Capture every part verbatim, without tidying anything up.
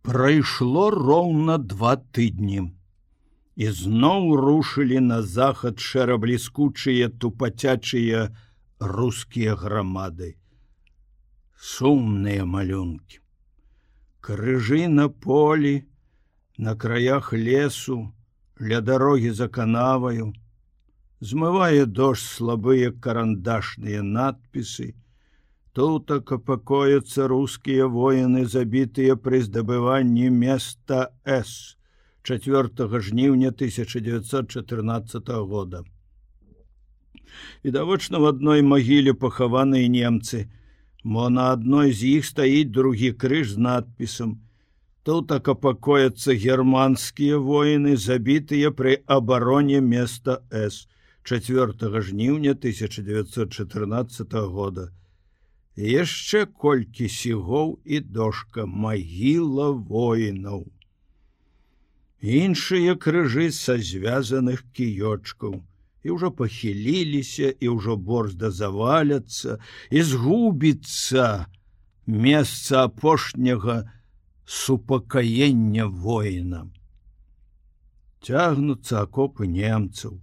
Прайшло роўна два тыдні. І зноў рушылі на захад шэрабліскучыя тупацячыя рускія грамады. Сумныя малюнкі. Крыжы на полі, на краях лесу, ля дарогі за канаваю. Змывае дождж слабыя карандашныя надпісы. Тут покоятся русские воины, забитые при здобывании места С чацвёртага жніўня тысяча дзевяцьсот чатырнаццатага года. Відавочна, в одной могиле похованные немцы, мо на одной из их стоит другі крыж с надписом: тут покоятся германские воины, забитые при обороне места С чацвёртага жніўня тысяча дзевяцьсот чатырнаццатага года. Яшчэ колькі сігоў і дошка магіла воінаў. Іншыя крыжы са звязаных кіёчкаў і ўжо пахіліліся, і ўжо борзда заваляцца, і згубіцца месца апошняга супакаення воіна. Цягнуцца акопы немцаў.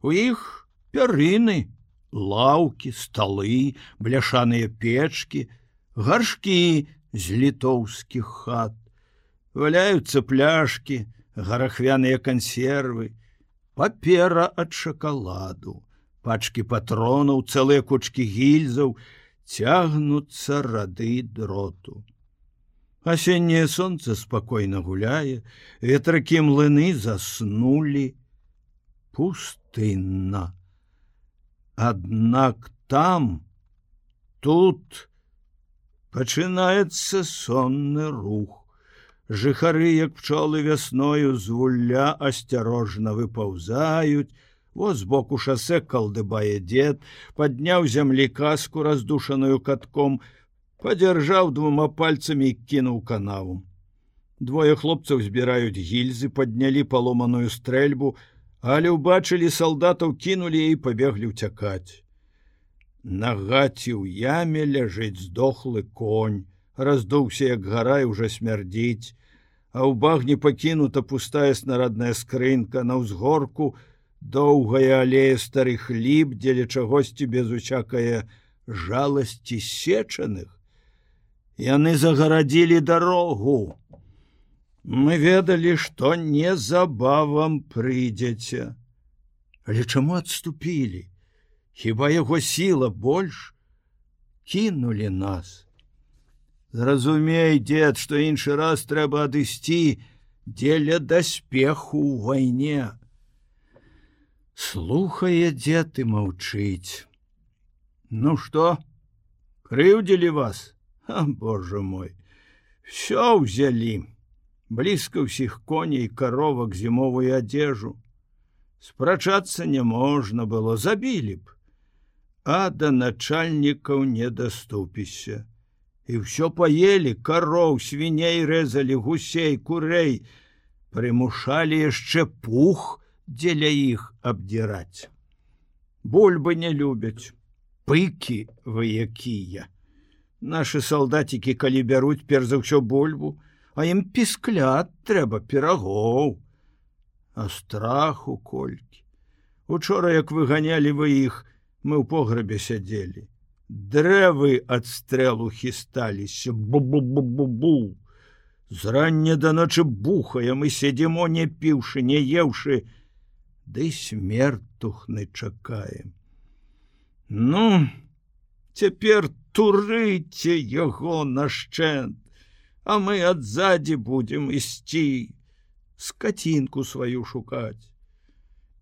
У іх пярыны, лаўкі, сталы, бляшаныя печкі, гаршкі з літоўскіх хат. Валяюцца пляшкі, гарахвяныя кансервы, папера ад шакаладу, пачкі патронаў, цэлыя кучкі гільзаў, цягнуцца рады дроту. Асенняе сонца спакойна гуляе, ветракі млыны заснулі. Пустынна. Аднак там, тут пачынаецца сонны рух. Жыхары, як пчолы вясною, з вулля асцярожна выпаўзаюць. Вот збоку шасэ калдыбае дзед, падняў зямлі каску, раздушаную катком, падзяржаў двума пальцамі і кінуў канаву. Двое хлопцаў збіраюць гільзы, паднялі паломаную стрэльбу, але ўбачылі салдатаў, кінулі і пабеглі ўцякаць. На гаці ў яме ляжыць здохлы конь, раздуўся, як гара, і ўжо смярдзіць, а ў багне пакінута пустая снарадная скрынка, на ўзгорку доўгая алея старых ліп, дзеля чагосьці без усякае жаласці сечаных. Яны загарадзілі дарогу. Мы ведалі, што незабавам прыйдзеце. Але чаму адступілі? Хіба яго сіла больш? Кінулі нас. Зразумей, дзед, што іншы раз трэба адысці дзеля даспеху ў вайне. Слухае дзед і маўчыць. Ну што, крыўдзілі вас? А, боже мой, всё ўзялі. Блізка ўсіх коней, каровак, зімовую адзежу. Спрачацца не можна было, забілі б. А да начальнікаў не даступішся. І ўсё паелі, кароў, свіней рэзалі, гусей, курэй. Прымушалі яшчэ пух дзеля іх абдзіраць. Бульбы не любяць. Пыкі вы якія. Нашы салдацікі, калі бяруць перш за ўсё бульбу, а ім пісклят трэба, пірагоў. А страху колькі. Учора, як выганялі вы іх, мы ў пограбе сядзелі. Дрэвы ад стрэлу хісталіся. Бу-бу-бу-бу-бу. Зрання да ночы бухаем і сядзімо, не піўшы, не еўшы, ды смертухны чакаем. Ну, цяпер турыце яго нашчэнт, а мы адзадзі будзем ісці, скацінку сваю шукаць.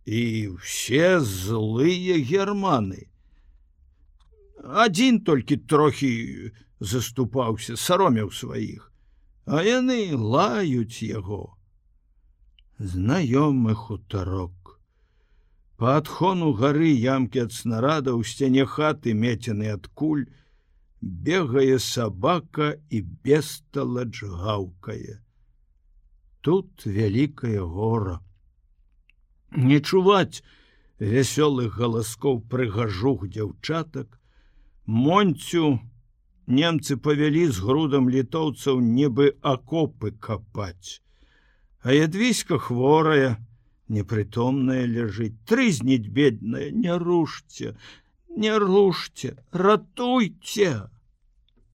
І ўсе злыя германы. Адзін толькі трохі заступаўся, саромеў сваіх, а яны лаюць яго. Знаёмы хутарок. Па адхону гары ямкі ад снарада, ў сцяне хаты мецены ад куль, бегае сабака і бесталадж гаўкае. Тут вялікае гора. Не чуваць вясёлых галаскоў прыгажух дзяўчатак, Монцю немцы павялі з грудам літоўцаў нібы акопы капаць. А ядвіська хворая, непрытомная ляжыць, трызніць бедная, не рушце, не рушце, ратуйце!